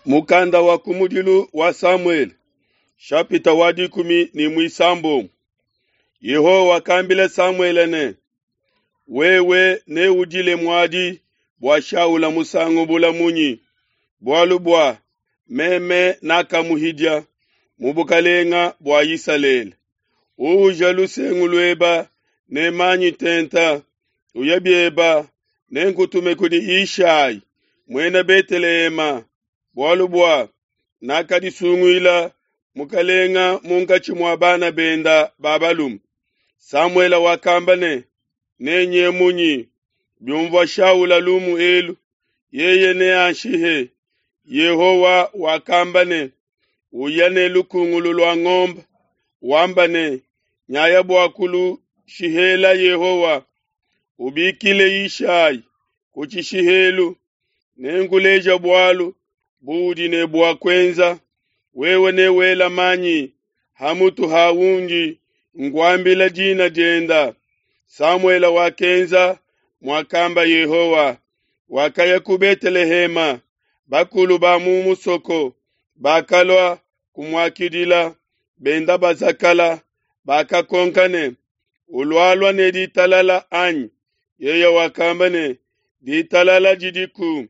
Mukanda wa kumudilu wa Samuele, shapita wa dikumi ne muisambombo. Yehowa wakambila Samuele ne, Wewe neudile muadi bua Shaula musangu bula munyi? Bualu bua meme nakamuhidia mu bukalenga bua Isalele. Uuja lusengu lueba ne manyi tenta, uya bieba, nenkutume kudi Yishai, muena Betelehema, bualu bua nakadisunguila mukalenga munkatshi mua bana benda ba balume. Samuele wakamba ne, Nenye munyi? Biumvua Shaula lumu elu, yeye neanshihe. Yehowa wakamba ne, Uya ne lukungulu lua ngombe, wamba ne, Nyaya bua kulushihela Yehowa. Ubikile Yishai ku tshishihelu, nenkuleja bualu buudi ne bua kuenza. Wewe newela manyi ha mutu ha undi nkuambila dina dienda. Samuele wakenza muakamba Yehowa, wakaya ku Betelehema. Bakulu ba mu musoko bakalua kumuakidila, benda bazakala, bakakonka ne, Ulualua ne ditalala, anyi? Yeye wakamba ne, Ditalala didiku,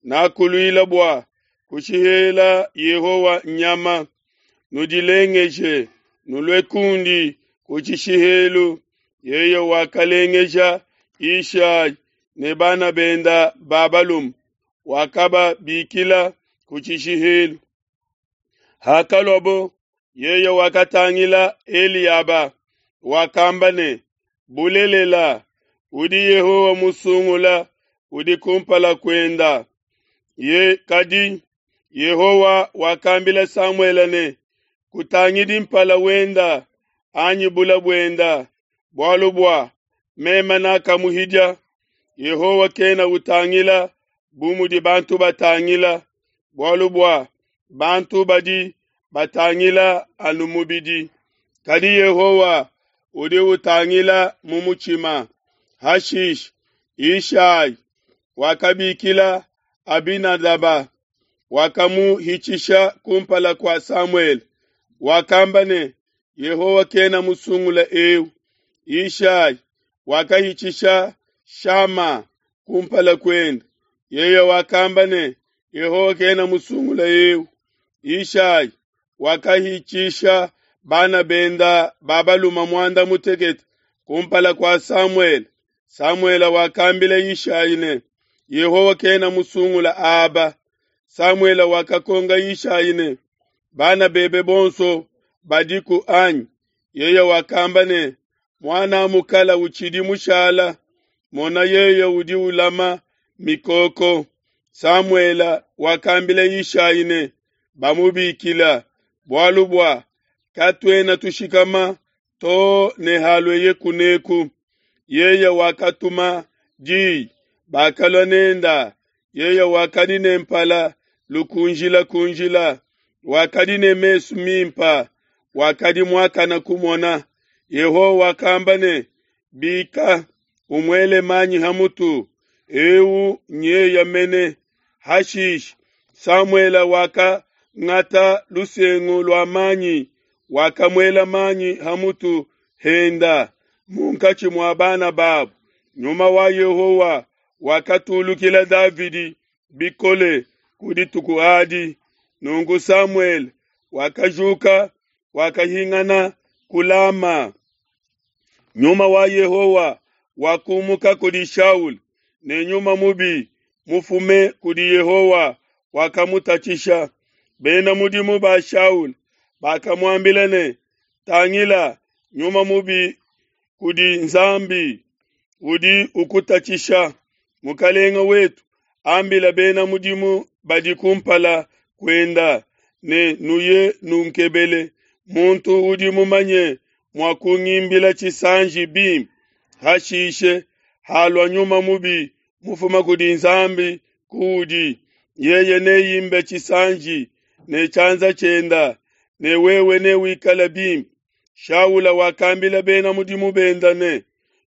nakuluila bua kushihela Yehowa nyama. Nudilengeje, nulue kundi ku tshishihelu. Yeye wakalengeja Yishai ne bana benda ba balume, wakababikila ku tshishihelu. Hakaluabo, yeye wakatangila Eliaba, wakamba ne, Bulelela, udi Yehowa musungula udi kumpala kuenda. Ye, kadi Yehowa wakambila Samuele ne, Kutangidi mpala wenda anyi bula buenda, bualu bua meme nakamuhidia. Yehowa kena utangila bu mudi bantu batangila, bualu bua bantu badi batangila anu mubidi, kadi Yehowa udi utangila mu mutshima. Hashishe Yishai wakabikila Abinadaba, wakamuhitshisha kumpala kua Samuele, wakamba ne, Yehowa kena musungula eu. Yishai wakahitshisha Shama kumpala kuende, yeye wakamba ne, Yehowa kena musungula eu. Yishai wakahitshisha bana benda ba balume muanda mutekete kumpala kua Samuele. Samuele wakambila Yishai ne, Yehowa kena musungula aba. Samuele wakakonka Yishai ne, Bana bebe bonso badiku anyi? Yeye wakamba ne, Muana mukala utshidi mushala, mona yeye udi ulama mikoko. Samuele wakambila Yishai ne, Bamubikila, bualu bua katuena tushikama to ne halueye kuneku. Yeye wakatuma diyi, bakalua nenda. Yeye wakadi ne mpala lukunjilakunjila, wakadi ne mesu mimpa, wakadi muakana kumona. Yehowa wakamba ne, Bika, umuele manyi ha mutu, eu nyeye mene. Hashishe Samuele wakangata lusengu lua manyi, wakamuela manyi ha mutu henda munkatshi mua bana babo. Nyuma wa Yehowa wakatulukila Davidi bikole ku dituku adi. Nunku Samuele wakajuka, wakahingana ku Lama. Nyuma wa Yehowa wakumuka kudi Shaula, ne nyuma mubi mufume kudi Yehowa wakamutatshisha. Bena mudimu ba Shaula bakamuambila ne, Tangila, nyuma mubi kudi Nzambi udi ukutatshisha. Mukelenge wetu ambila bena mudimu badi kumpala kuenda ne, Nuye nunkebele muntu udi mumanye mua kungimbila tshisanji bimpe. Hashishe halua nyuma mubi mufuma kudi Nzambi kuudi, yeye neimbe tshisanji ne tshianza tshienda, ne wewe newikale bimpe. Shaula wakambila bena mudimu benda ne,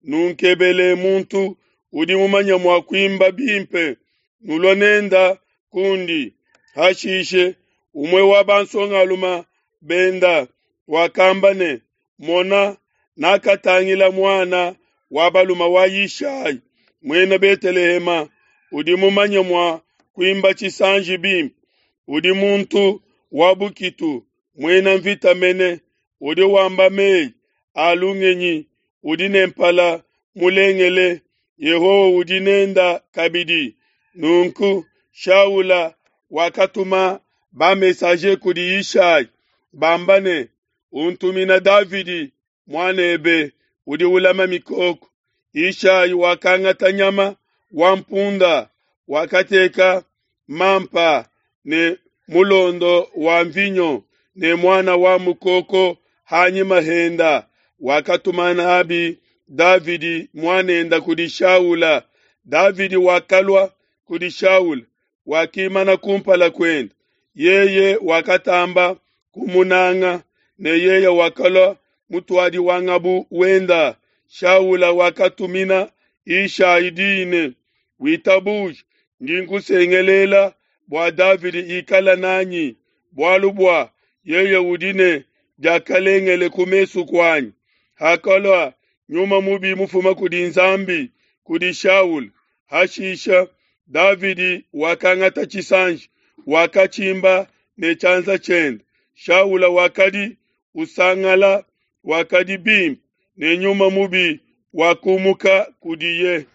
Nunkebele muntu udi mumanye mua kuimba bimpe, nulua nenda kundi. Hashishe umue wa bansongalume benda wakamba ne, Mona, nakatangila muana wa balume wa Yishai, muena Betelehema, udi mumanye mua kuimba tshisanji bimpe, udi muntu wa bukitu, muena mvita mene, udi wamba meyi a lungenyi, udi ne mpala mulengele, Yehowa udi nenda kabidi. Nunku Shaula wakatuma ba-messager kudi Yishai, bamba ne, Untumina Davidi muanebe udi ulama mikoko. Yishai wakangata nyama wa mpunda, wakateka mampa ne mulondo wa mvinyo ne muana wa mukoko hanyima henda, wakatuma nabi Davidi muanenda kudi Shaula. Davidi wakalua kudi Shaula, wakimana kumpala kuende. Yeye wakatamba kumunanga, ne yeye wakalua mutuadi wa ngabu wenda. Shaula wakatumina Yishai diyi ne, Witabuje, ndi nkusengelela bua Davidi ikala nanyi, bualu bua yeye udi ne diakalengele ku mesu kuanyi. Hakalua nyuma mubi mufuma kudi Nzambi kudi Shaula, hashisha Davidi wakangata tshisanji, wakatshimba ne tshianza tshiende. Shaula wakadi usangala, wakadi bimpe, ne nyuma mubi wakumuka kudiye.